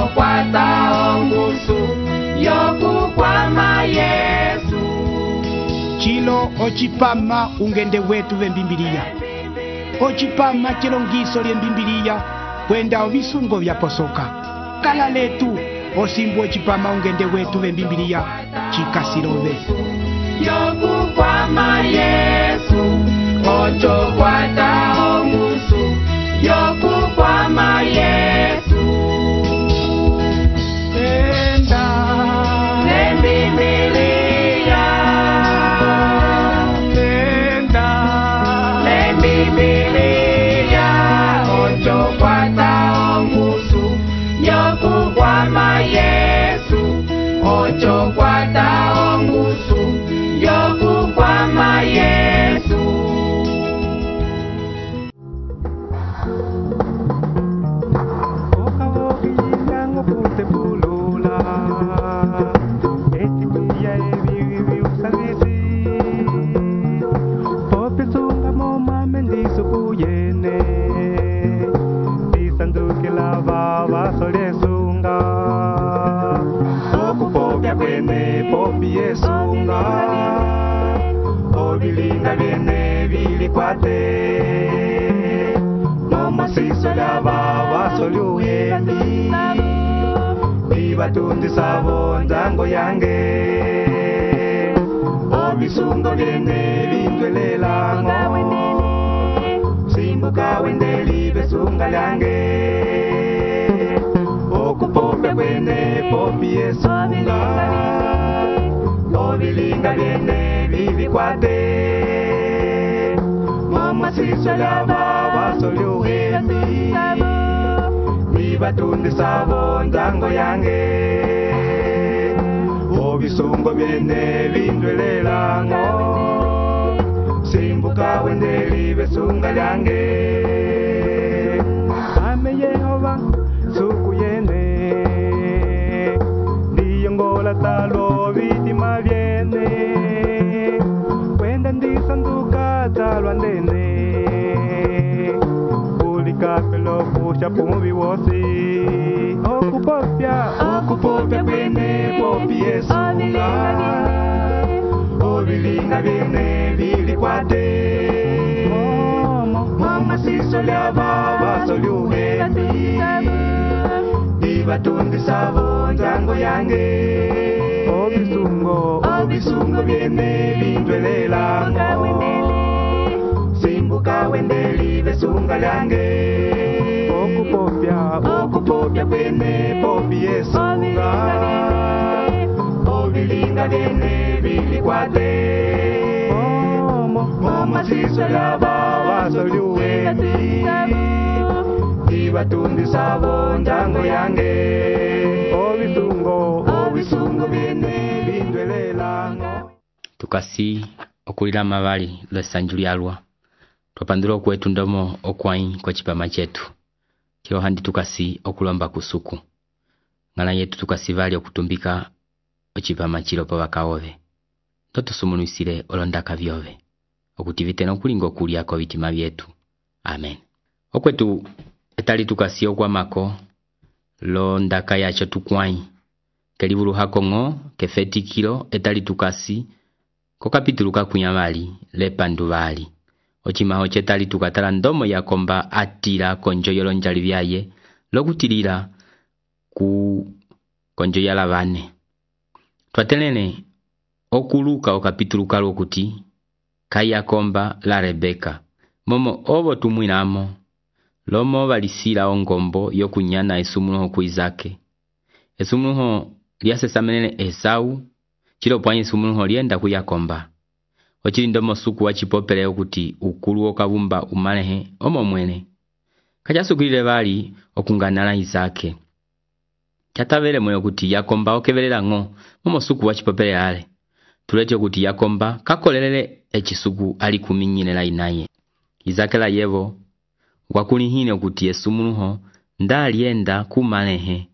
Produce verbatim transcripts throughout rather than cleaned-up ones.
ocho kwata ongusu yokukwama Yesu. Chilo ochipama ungende wetu vembimbilia. Ochipama chilongiso lyembimbilia kwenda ovisungo vya posoka. Kala letu osimbu ochipama ungende wetu vembimbilia chikasirove. Yokukwama Yesu, ocho kwata ongusu yokukwama Yesu. Enda lembimbilia, enda lembimbilia, ocho kwata ongusu yokukwama Yesu, ocho kwata ongusu yokukwama Yesu. Obilinga viene vilikwate Momo siso lava wasolu endi Vivatundi savo nzango yange Obisungo viene vindwelelango Simbuka wendeli besunga lyange Okupopya kwene popi esunga Obilinga viene vivikwate Mama siso lava wasolu endi Vivatundi savo nzango yange Obisungo viene vindwelelango Simbuka wendeli besunga lyange Ame Yehova suku yene Ndiyongola talo vitima viene Kwenda ndisanduka talwa ndene Ulikapelo kusha pumuvi wosi Okupopya, okupopya kwene popi esunga Obilinga viene vilikwate Mama siso lyava wasolu endi Vivatundi savo nzango yange Obisungo, obisungo viene vindwelelango Simbuka wendeli besunga lyange Okupopya, okupopya kwene popi esunga Obilinga viene vilikwate Mama siso lava wasolu endi Vivatundi savo nzango yange Obisungo, obisungo viene vindwelelango. Tukasi okulila amabali lwesanju lyalwa twapandula okwetu ndomo okwai kwa chipama chetu kilo handi tukasi okulomba kusuku ngana yetu tukasi vali okutumbika ochipama chilo pa bakaove totusumunuisile olondaka vyove okutivite nokulinga okulyako bitima byetu. Amen. Okwetu etali tukasi okwamako lo ndaka yacho tukwai kelibulu hakongo kefetikilo etali tukasi ko kapitulu kakunyamali lepanduvali ochimaho chetali tukatala ndomo yakomba atila konjoyolo njali byaye lokutilila ku konjoyala bane twatelene okuluka okapitulu kalo kuti kayakomba la Rebeka momo obo tumwinamo lomo balisila ongombo yokunyana esumunuho kuizake esumunuho lyasesamenene Esau chilo pwanye esumunuho lyenda kuyakomba ochili ndomo suku wachipopele okuti ukulu okabumba umalehe omo mwene kachasukilile bali okunganala Isake chatabele mwe okuti yakomba okebelela ngo momo suku wachipopele ale tulete okuti yakomba kakolelele echisuku ali kuminyinela inaye Isake la yevo wakulihine okuti esumunuho ndalienda kumalehe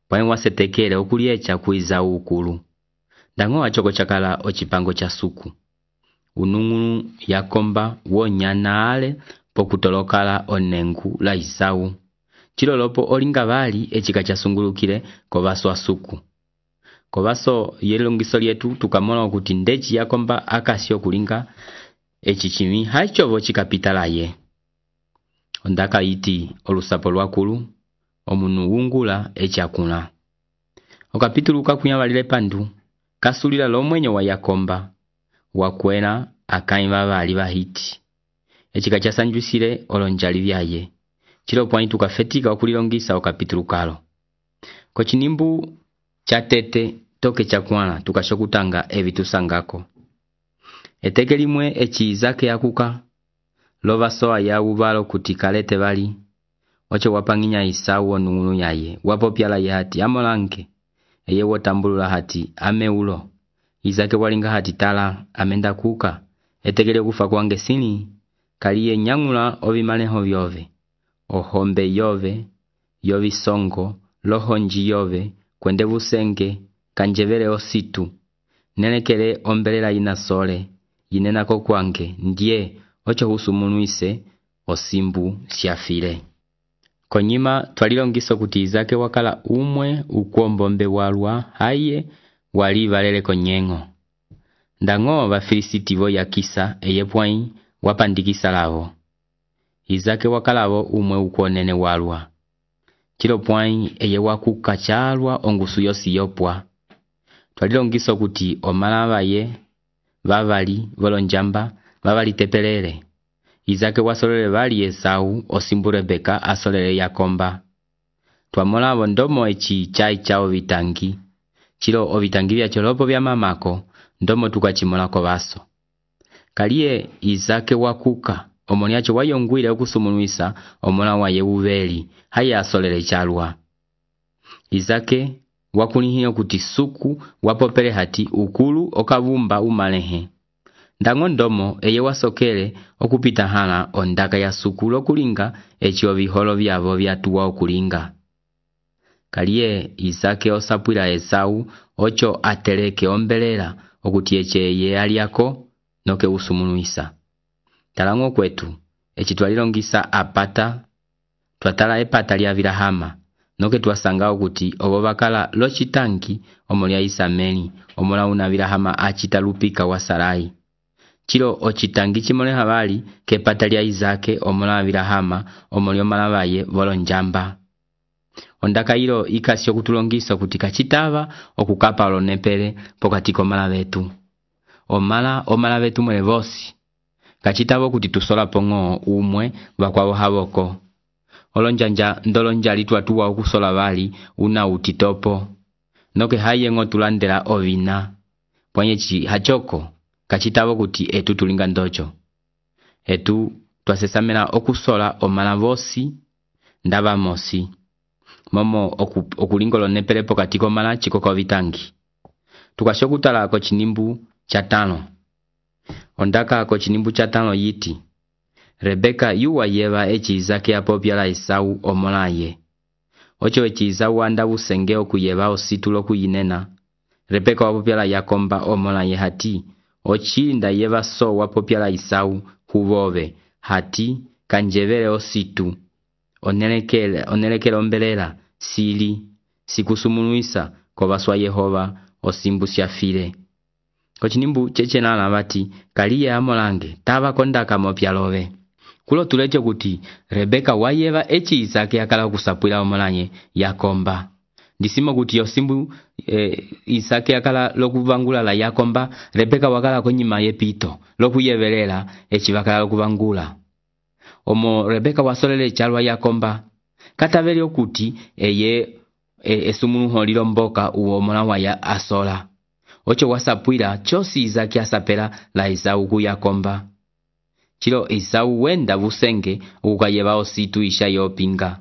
pwanye wasetekele okuliecha kuiza ukulu ndango achoko chakala ochipango cha suku unungunu yakomba wonyana ale pokutolokala onengu la Isau chilolopo olinga bali echika chasungulukile kobaso asuku. Kobaso yelongiso lyetu tukamona okuti ndechi yakomba akasi okulinga echichimi haichovo chikapitalaye. Ondaka iti olusapo lwakulu omunu wungula echakuna. Okapituluka kunyabalile pandu kasulila lomwenyo wa Yakomba wakwena akaimba bali bahiti. Echika chasanjwisile olonjali byaye. Chilo pwani tukafetika okulilongisa okapitulukalo. Kochinimbu chatete toke chakwana tukashokutanga ebitusangako. Eteke limwe echi zake yakuka lova soa ya ubalo kutikalete bali oche wapanginya Isau onungunu yaye wapopyala ye hati amolanke eye wotambulula hati ameulo Izake walinga hati tala amenda kuka etegele kufa kwange sini kaliye nyangula obimaneho byove ohombe yove yovi songo lohonji yove kwende busenge kanjevele ositu nenekele ombelela ina sole yinenako kwange ndie ocho husumunuise osimbu siafile. Konyima twalilongiso kuti Izake wakala umwe ukuombombe walwa haye wali valele konyengo. Ndango bafilisiti vo yakisa eyepwai wapandikisa lavo. Izake wakalavo umwe ukuonene walwa. Chilo pwai eye wakuka chalwa ongusu yosi yopwa. Twalilongiso kuti omalava ye vavali volonjamba vavali tepelele. Izake wasolele vali Esau osimbu Rebeka asolele Yakomba. Twamola ndomo echi chai chao vitangi. Chilo ovitangi vya cholopo vya mamako ndomo tukachimola kobaso. Kaliye Izake wakuka omoniacho wayongwile okusumunuisa omona wa Yeubeli haya asolele chalwa. Izake wakunihio kuti suku wapopele hati ukulu okavumba umalehe. Ndango ndomo eye wasokele okupita hana ondaka ya suku lokulinga echi oviholo vyavo vyatuwa okulinga. Kaliye Izake osapwila Esau ocho ateleke ombelela okuti eche ye aliako noke usumunuisa. Talango kwetu echi twalilongisa apata twatala epata lya Vilahama noke twasanga okuti obo bakala lochitangi omolya Isameli omola una Vilahama achita lupika wa Sarai. Chilo ochitangi chimone habali kepata lya Izake omola Vilahama omolyo malabaye volonjamba. Ondaka ilo ikasyo kutulongisa kuti kachitava okukapa olonepele pokatiko mala betu. Omala omala betu mwele vosi. Kachitava kuti tusola pongo umwe bakwabo haboko. Olonjanja ndolonjali tuatuwa okusola bali una utitopo. Noke haye ngo tulandela ovina. Pwanyechi hachoko kachitava kuti etu tulinga ndocho. Etu twasesamela okusola omala vosi ndaba mosi. Momo oku, okulingolo nepele pokatiko mala chikoko vitangi. Tukashokutala kochinimbu chatano. Ondaka kochinimbu chatano yiti. Rebeka yuwa yeva echi Izake apopyala Esau omolaye. Ocho echi Isau anda busenge okuyeva ositulo kuyinena. Rebeka wapopyala Yakomba omolaye hati. Ochinda yeva so wapopyala Isau huvove. Hati kanjevele ositu. Onelekele, onelekele ombelela, sili, sikusumunuisa, kobaswa Yehova, osimbu siafile. Kochinimbu cheche nana bati, kaliye amolange, taba kondaka mopyalove. Kulo tulecho kuti, Rebeka wayeva echi Izake akala kusapwila omolanye Yakomba. Disimo kuti yosimbu e, Izake akala lokuvangula la Yakomba, Rebeka wakala konyima yepito, lokuyevelela echi wakala lokuvangula. Omo Rebeka wasolele chalwa Yakomba. Kataveli okuti eye e, esumunuho lilomboka uwo mona wa ya asola. Ocho wasapwila chosi Izake asapela la Esau ku Yakomba. Chilo Esau wenda busenge ukayeba ositu isha yopinga.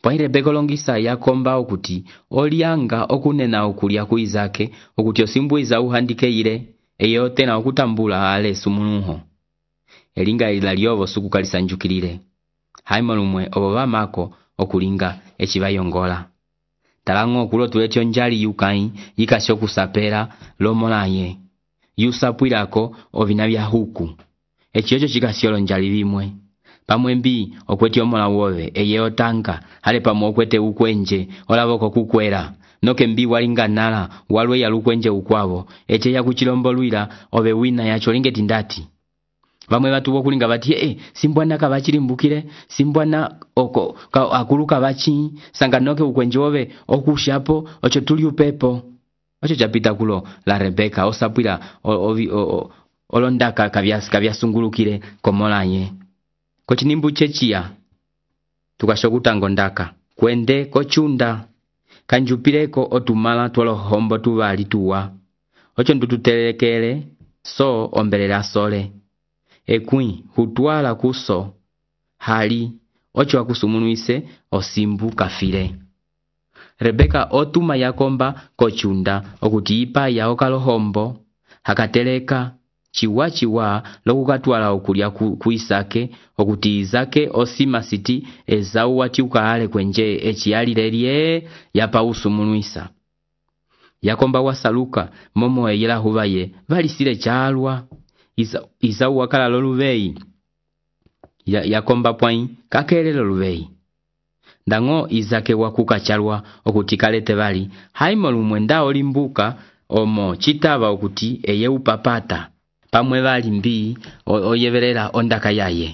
Pwa Rebeka longisa Yakomba okuti olianga okunena okulia ku Izake okuti osimbu Esau handike ile eye tena okutambula ale sumunuho. Elinga ila lyovo suku kalisanjukilile. Haimolumwe obo bamako okulinga echibayongola. Talango kulo tuletyo njali yukai yikasyo kusapela lomolaye. Yusapwilako ovina bya huku. Echiyocho chikasyolo njali bimwe. pamwe mbi okweti omola wowe eye otanga hale pamwe okwete ukwenje olaboko kukwera noke mbi walinganala walwe yalukwenje ukwavo eche yakuchilombolwila obe wina yacho lingeti ndati bamwe batu bokulinga bati eh simbwana kabachilimbukile simbwana oko ka, akuluka bachi sanga noke ukwenje obe okushapo ocho tuli upepo ocho chapita kulo la Rebeka osapwila olondaka kabyas kabyasungulukile komolanye kochinimbu chechia tukashokutango ndaka kwende kochunda kanjupileko otumala twalohombo tubali tuwa ocho ndututelekele so ombelela sole ekwi hutwala kuso hali ocho akusumunuise osimbu kafile Rebeka otuma Yakomba kochunda okuti ipa ya okalohombo hakateleka chiwa chiwa lokukatwala okulya ku, ku Isake okuti Isake osima siti Esau wati ukaale kwenje echiyalilelye yapa usumunuisa Yakomba wasaluka momo eyela hubaye valisile chalwa Isau wakala loluvei ya, Yakomba pwai kakele loluvei ndango Isake wakuka chalwa okuti kalete bali haimo lumwenda olimbuka omo chitaba okuti eye upapata pamwe bali mbi oyevelela ondaka yaye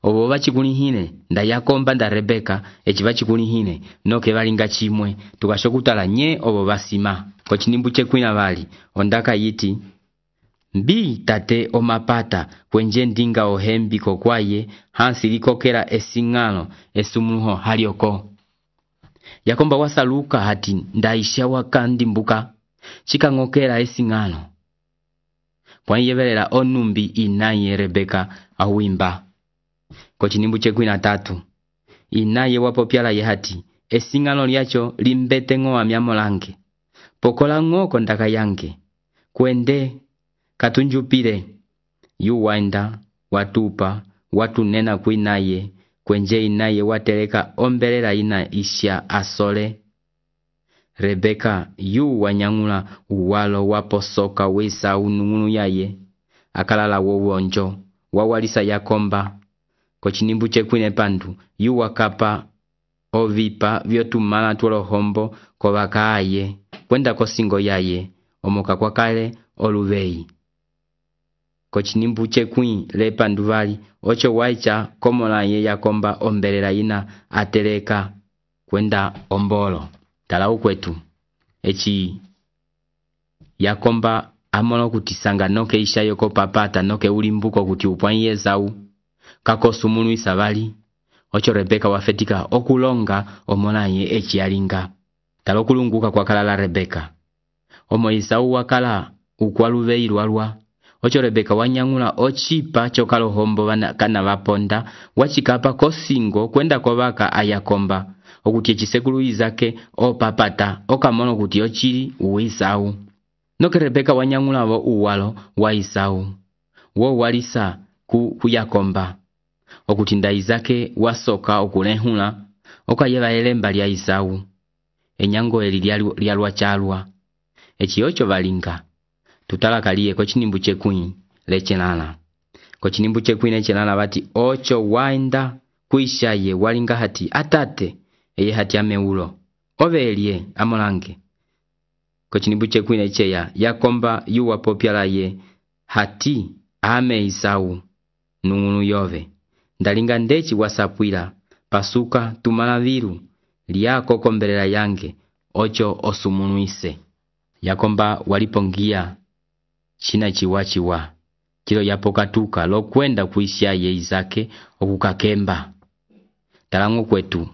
obo bachikulihine nda Yakomba nda Rebeka echi bachikulihine noke balinga chimwe tukashokutala nye obo basima kochinimbu chekwina bali ondaka yiti mbi tate omapata kwenje ndinga ohembi kokwaye hansi likokera esingano esumuho halioko Yakomba wasaluka hati ndaisha wakandimbuka chikangokera esingano pwanyevelela onumbi inaye Rebeka awimba kochinimbu chekwina tatu inaye wapopyala ye hati esingano lyacho limbete ngo amyamolange pokola ngoko ndaka yange kwende katunjupile yu waenda watupa watu nena kuinaye kwenje inaye wateleka ombelela ina isha asole Rebeka yu wanyangula uwalo waposoka wisa unungunu yaye akalala wowonjo wawalisa Yakomba kochinimbu chekwine pandu yu wakapa ovipa vyotumala tulohombo kovakaaye kwenda kosingo yaye omoka kwa kale oluvei kochinimbu chekwi lepandu vali ocho waicha komola ye Yakomba ombelela ina ateleka kwenda ombolo tala ukwetu echi Yakomba amono kutisanga noke isha yoko papata noke ulimbuko kuti upwanye Esau kakosumunu isabali ocho Rebeka wafetika okulonga omola ye echi yalinga tala okulunguka kwa kalala Rebeka omo Esau wakala ukwaluvei lwalwa ocho Rebeka wanyangula ochipa chokalohombo kana vaponda wachikapa kosingo kwenda kovaka ayakomba okuti echisekulu Isake opapata okamono kuti ochili uisau noke Rebeka wanyangula vo uwalo wa Isau wo walisa ku, ku Yakomba okuti nda Isake wasoka okulehula okayeva elemba lya Isau enyango eli lyalwa chalwa echiocho valinga tutalakaliye kochinimbu chekwi lechenana kochinimbu chekwi lechenana bati ocho waenda kuishaye walinga hati atate eye hati ameulo ovelie amolange kochinimbu chekwi lecheya Yakomba yuwa popyala ye hati ame Isau nungunu yove ndalinga ndechi wasapwila pasuka tumalaviru liyako kombelela yange ocho osumunuise Yakomba walipongia china chiwa chiwa kilo yapokatuka lokwenda kuisha ye Isake okukakemba talango kwetu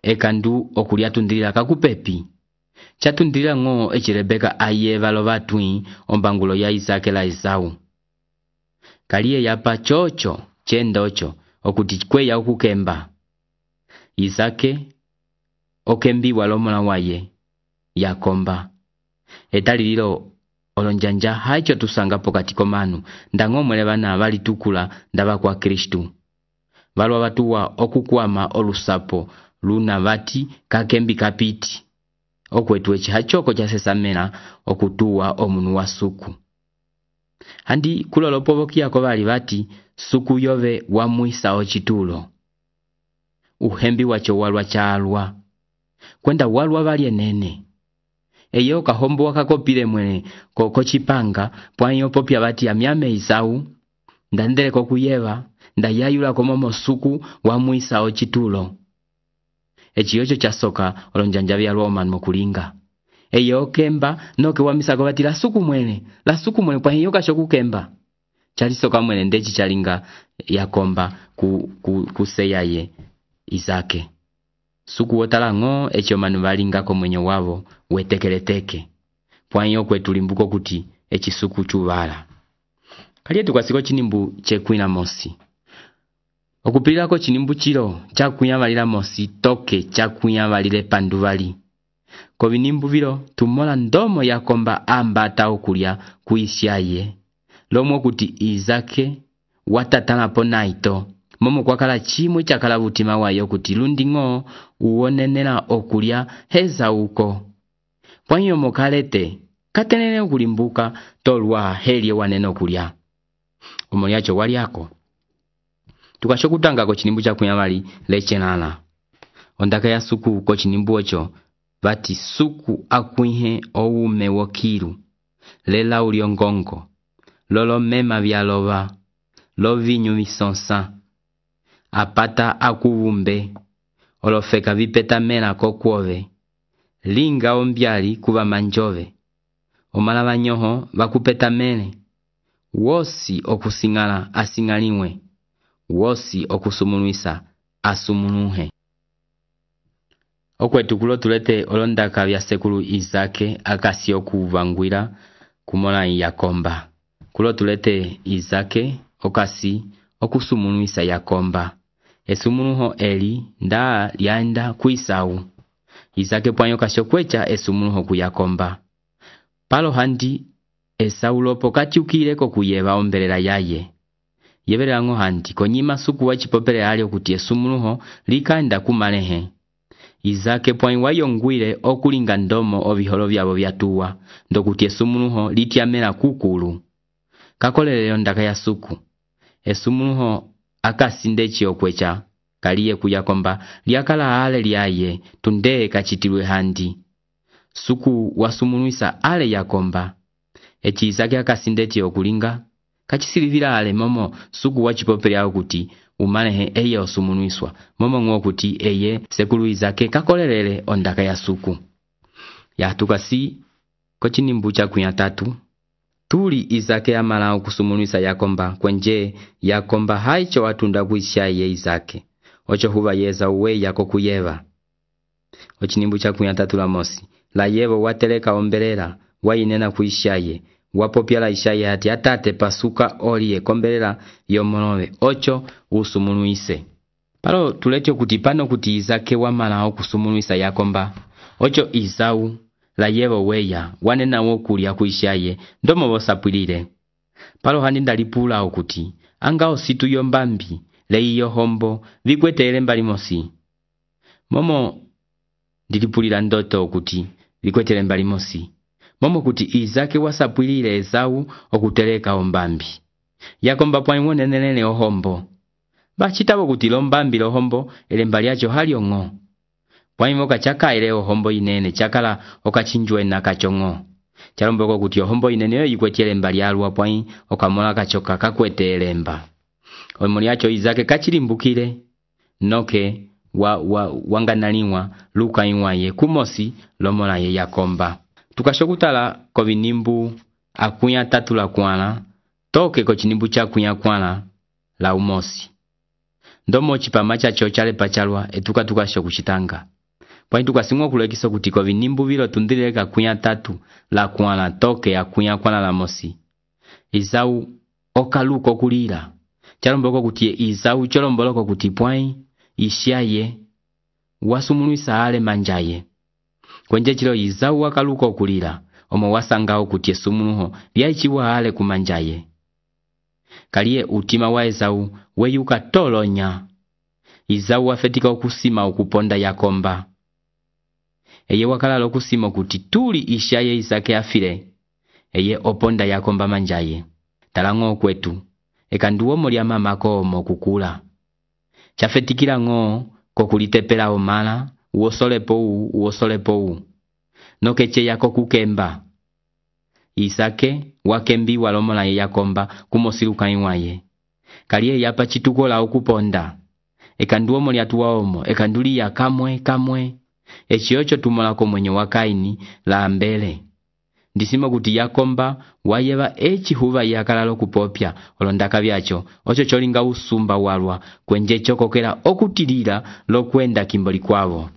ekandu okulyatundilila kakupepi chatundilila ngo echi Rebeka ayeva lovatwi ombangulo ya Isake la Esau kaliye yapa chocho chendocho okuti kweya okukemba Isake okembi walomola waye Yakomba etalililo olonjanja haicho tusanga pokati komanu ndango mwele bana bali tukula ndaba kwa Kristu balwa batuwa okukwama olusapo luna bati kakembi kapiti okwetu echi hachoko cha sesamela okutuwa omunu wasuku Handi kulolopovokiako bali bati suku yove wamwisa ochitulo. Uhembi wacho walwa chalwa. Kwenda walwa bali enene. Eyo kahombo wakakopile mwene koko chipanga pwanyo popya bati amyame Isau ndandele kokuyeva ndayayula komomo suku wamwisa ochitulo. Echiyocho chasoka olonjanja byalwa omanu kulinga. Eyo kemba noke wamisako bati la suku mwene la suku mwene pwanyo kashoku kemba. Chalisoka mwene ndechi chalinga yakomba ku, ku, kuseyaye Izake. Suku wotala ngo echo manu balinga ko mwenye wavo wetekeleteke. Pwanyo kwetulimbuko kuti echi suku chubala. Kaliye tukasiko chinimbu chekwina mosi. Okupilako chinimbu chilo chakunya balila mosi toke chakunya balile panduvali. Ko binimbu biro tumola ndomo yakomba ambata okulya kuisyaye. Lomo kuti Izake watatana po naito. Momo kwakala chimwe chakala butima wayo kuti lundingo uonenela okulya heza uko. Pwanyo mokalete katenene okulimbuka tolwa helye wanene okulya. Omoliacho waliako. Tukashokutanga ko chinimbu cha kunyamali lechenana. Ondaka ya suku ko chinimbu ocho bati suku akuihe oume wokiru. Lela uliongongo. Lolo mema byaloba. Lovinyu misonsa. Apata akuvumbe. Olofeka vipeta mena kokuove. Linga ombyali kuba manjove. Omala banyoho bakupeta mene. Wosi okusingala asingaliwe. Wosi okusumunuisa asumunuhe. Okwetu kulo tulete olondaka bya sekulu Izake akasi okuvangwira kumola yakomba. Kulo tulete Izake okasi okusumunuisa yakomba. Esumunuho eli nda lyanda kuisau. Izake pwanyo kashokwecha esumunuho kuyakomba. Palo handi Esau lopo katyukileko kuyeba ombelela yaye. Yebelela ngo handi konyima suku wachipopele alio kuti esumunuho likanda kumalehe. Izake pwanyo wayongwile okulinga ndomo obiholo byabo byatuwa ndokuti esumunuho lityamela kukulu. Kakoleleo ndaka ya suku. Esumunuho akasinde chiokwecha kaliye kuyakomba lyakala ale lyaye tunde kachitilwe handi. Suku wasumunuisa ale yakomba. Echi Izake akasinde chiokulinga kachisilivila ale momo suku wachipopele ao kuti umalehe eye osumunuiswa. Momo ngo kuti eye sekulu Izake kakolelele ondaka ya suku. Ya tukasi kochinimbu cha kunya tatu. Tuli Izake amala okusumunuisa yakomba kwenje yakomba haicho watunda kuishaye Izake. Ocho huba yeza uwe yako kuyeva. Ochinimbu cha kunya tatu la mosi. La yevo wateleka ombelela wainena kuishaye. Wapopyala ishaye hati atate pasuka oliye kombelela yomonove. Ocho usumunuise. Palo tuletio kuti pano kuti Izake wamala okusumunuisa yakomba. Ocho Izau la yevo weya wanena wokulya kuishaye ndomo bosapwilile. Palo handi ndalipula okuti anga ositu yombambi leiyo hombo vikwetele mbali mosi. Momo ndilipulila ndoto okuti vikwetele mbali mosi. Momo kuti Izake wasapwilile Esau okuteleka ombambi. Yakomba pwanyo nenelele ohombo. Bachitabo kuti lombambi lohombo ele mbali acho haliongo. Pwanyo kachaka ele ohombo inene chakala okachinjwe na kachongo. Charomboko kuti ohombo inene yo yikwetele mbali alwa pwanyo okamola kachoka kakwetele mba. Omuli acho Izake kachilimbukile noke wa, wa, wanganaliwa luka iwaye kumosi lomola ye yakomba. Tukashokutala ko binimbu akunya tatu la kwana toke ko chinimbu cha kunya kwana la umosi. Ndomo chipamacha chochale pachalwa etuka tukashokuchitanga. Pwanyi tukasimwa kulekiso kuti ko binimbu bilo tundileka kunya tatu la kwana toke ya kunya kwana la mosi. Izau okaluko kulila. Charomboko kuti Izau cholomboloko kuti pwanyi ishaye wasumunuisa ale manjaye. Kwenje chilo Izau wakaluko kulila omo wasangao kuti esumunuho lyaichiwa ale kumanjaye. Kaliye utima wa Esau weyuka tolonya. Izau wafetika okusima okuponda yakomba. Eye wakala lokusima kuti tuli ishaye Izake afile. Eye oponda yakomba manjaye. talang'o kwetu eka nduwo muli amamako omo kukula chafetikila ng'o kokulitepela omala uosolepo u uosolepo u nokeche yako kukemba Isake wakembi walomola ye Yakomba kumosiluka iwaye kaliye yapa chitukola okuponda eka nduwo muli atuwa omo eka nduli ya kamwe kamwe echiocho tumolako mwenye wa Kaini la mbele ndisimo kuti Yakomba wayeva echi huva yakalalo kupopya olondaka byacho ocho cholinga usumba walwa kwenje chokokela okutilila lokwenda kimboli kwavo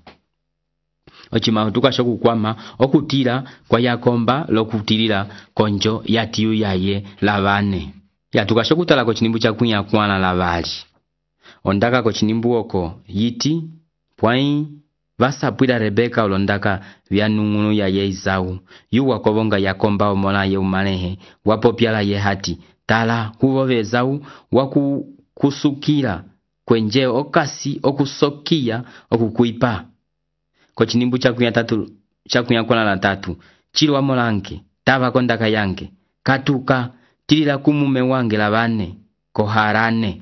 Ochima tukasho kukwama okutila kwa Yakomba lokutilila konjo yatiyu yaye lavane ya tukasho kutala ko chinimbu cha kunya kwana lavali ondaka ko chinimbu oko yiti pwai vasapwila Rebeka olondaka vyanungunu ya ye Isau yuwa kovonga Yakomba omola ye umalehe wapopyala ye hati tala huvove Esau waku kusukila kwenje okasi okusokia okukuipa ko chinimbu cha kunya tatu cha kunya kwana la tatu chilo amolanke tava kondaka yange katuka tilila kumume wange lavane koharane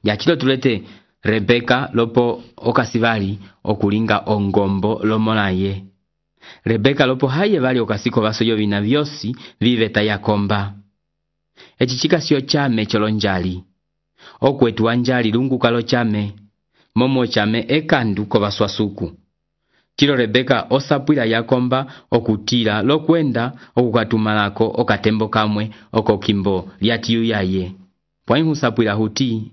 ya chilo tulete Rebeka lopo okasivali okulinga ongombo lomola ye Rebeka lopo haye vali okasiko vasoyo vina vyosi viveta Yakomba echichika sio chame cholonjali okwetu wanjali lungu kalo chame momo chame ekandu kovaswasuku chilo Rebeka osapwila Yakomba okutila lokwenda okukatumalako okatembo kamwe okokimbo lyatiyu yaye pwai husapwila huti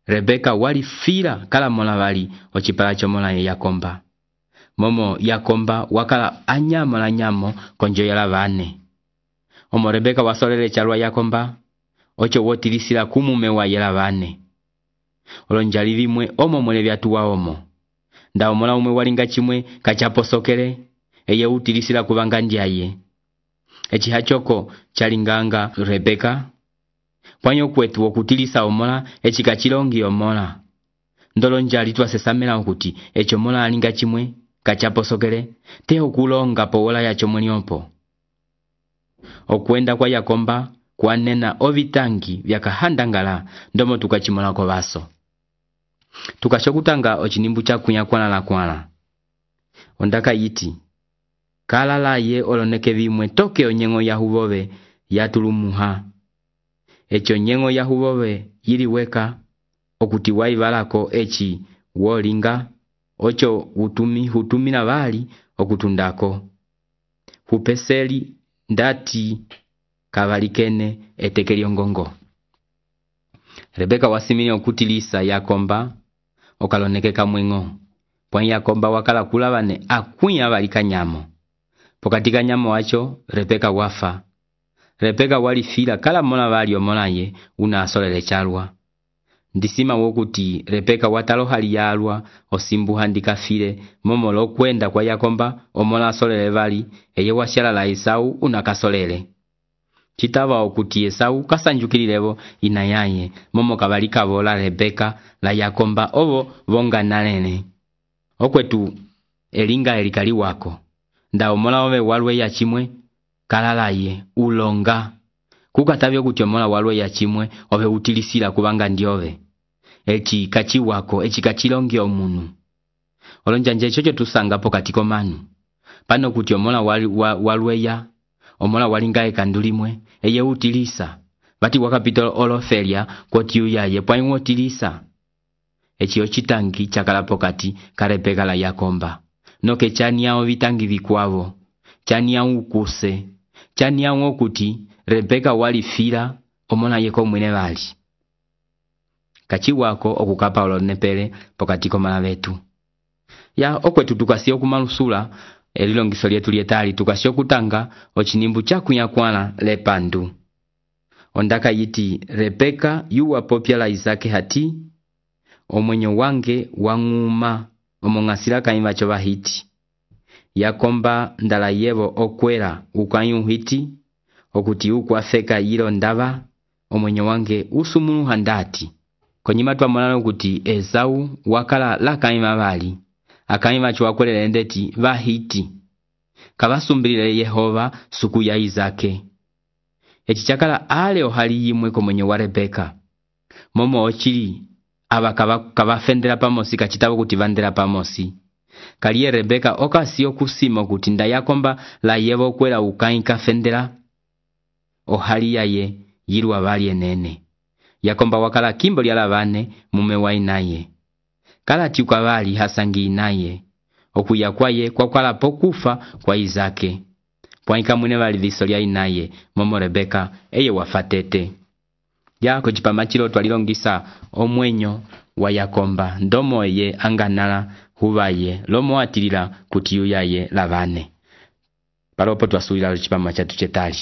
Rebeka wali fila kala mola vali ochipala chomola ye Yakomba momo Yakomba wakala anyamo la nyamo konjo yala vane omo Rebeka wasolele chalwa Yakomba ocho wotilisila kumume wa yala vane olonjali vimwe omo mwele vyatuwa omo nda omola umwe walinga chimwe kachaposokele eye utilisila kuvanga ndiaye echi hachoko chalinganga Rebeka pwanyo kwetu okutilisa omola echi kachilongi omola ndolonjali twasesamela okuti echo mola alinga chimwe kachaposokele te okulonga powola yacho mweliopo okwenda kwa Yakomba kwanena ovitangi vyakahandangala ndomo tukachimola ko vaso tukashokutanga ochinimbu cha kunya kwana la kwana ondaka yiti kala la ye oloneke vimwe toke onyengo ya huvove yatulumuha echo nyengo ya huvove yiliweka okuti waivalako echi wolinga ocho utumi hutumina vali okutundako hupeseli ndati kavalikene etekeli ongongo Rebeka wasimini okutilisa Yakomba okalonekeka mwengo pwa Yakomba wakala kulavane akunya valika nyamo pokatika nyamo wacho Rebeka wafa Rebeka wali fila kala mola vali omola ye una asolele chalwa ndisima wokuti Rebeka watalo hali yalwa osimbu handika file momo lo kwenda kwa Yakomba omola asolele vali eye washala la Esau una kasolele chitava okuti Esau kasanjukililevo inayaye momo kabalika vola Rebeka la Yakomba ovo vonga nalene okwetu elinga elikali wako nda omola ove walwe ya chimwe kalalaye ulonga kukatavyo kuti omola walwe ya chimwe ove utilisila kubanga ndiove echi kachi wako echi kachilongi omunu olonjanje chocho tusanga pokatiko manu pano kuti omola walwe ya omola walinga ekandulimwe eye utilisa vati wakapita olofelia kotiyu yaye pwa utilisa echi ochitangi chakala pokati Rebeka la Yakomba noke chani yao vitangi vikwavo chani yao ukuse chani yao okuti Rebeka wali fila omola yeko mwene vali kachi wako okukapa olonepele pokatiko mala vetu ya okwetu tukasio kumalusula elilongiso lyetu lyetali tukasio kutanga ochinimbu cha kunyakwana lepandu ondaka yiti Rebeka yuwa popya la Isake hati omwenyo wange wanguma omongasila kaimba cho bahiti Yakomba ndala yevo okwera ukanyu hiti okuti ukwafeka yilo ndava omwenyo wange usumunu handati konyima twamonana kuti Esau wakala la kaima vali akaima chwakwelele ndeti vahiti kabasumbilile Yehova suku ya Isake eci cakala ale ohali yimwe komwenyo wa Rebeka. Momo ochili aba kabafendela pamosi kacitabo kuti vandela pamosi. Kaliye Rebeka okasi okusima kuti nda yakomba la yebo kwela ukai kafendela ohali yaye yiru abali enene. Yakomba wakala kimbo lyala bane mume wa inaye. Kala tiuka bali hasangi inaye. Okuya kwaye kwa kwala pokufa kwa Izake. Pwanika mwine bali viso lya inaye momo Rebeka eye wafatete. Ya kuchipama chilo twalilongisa omwenyo wa Yakomba ndomo ye anganala hubaye lomo atilila kuti yuyaye labane. Palopo twasuila chipama chatu chetali.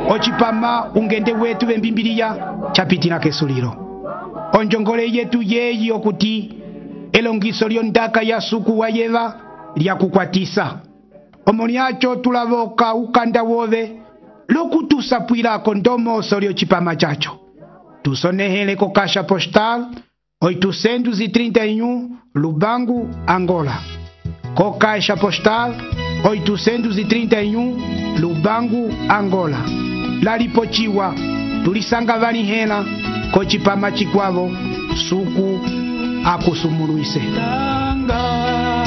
Ochipama ungende wetu bembimbiriya chapitila kesuliro. Onjongole yetu yeyi okuti elongiso lyondaka ya suku wa yeva lya kukwatisa. Omoniacho tulaboka ukanda wobe lokutusapwila kondomo solio chipama chacho. Tusonehele ko kasha postal oitocentos e trinta e um Lubango, Angola. Co caixa postal oitocentos e trinta e um Lubango, Angola. Lalipochiwa tulisanga vanihela ko chipama chikwavo suku akusumuluise. Tanga,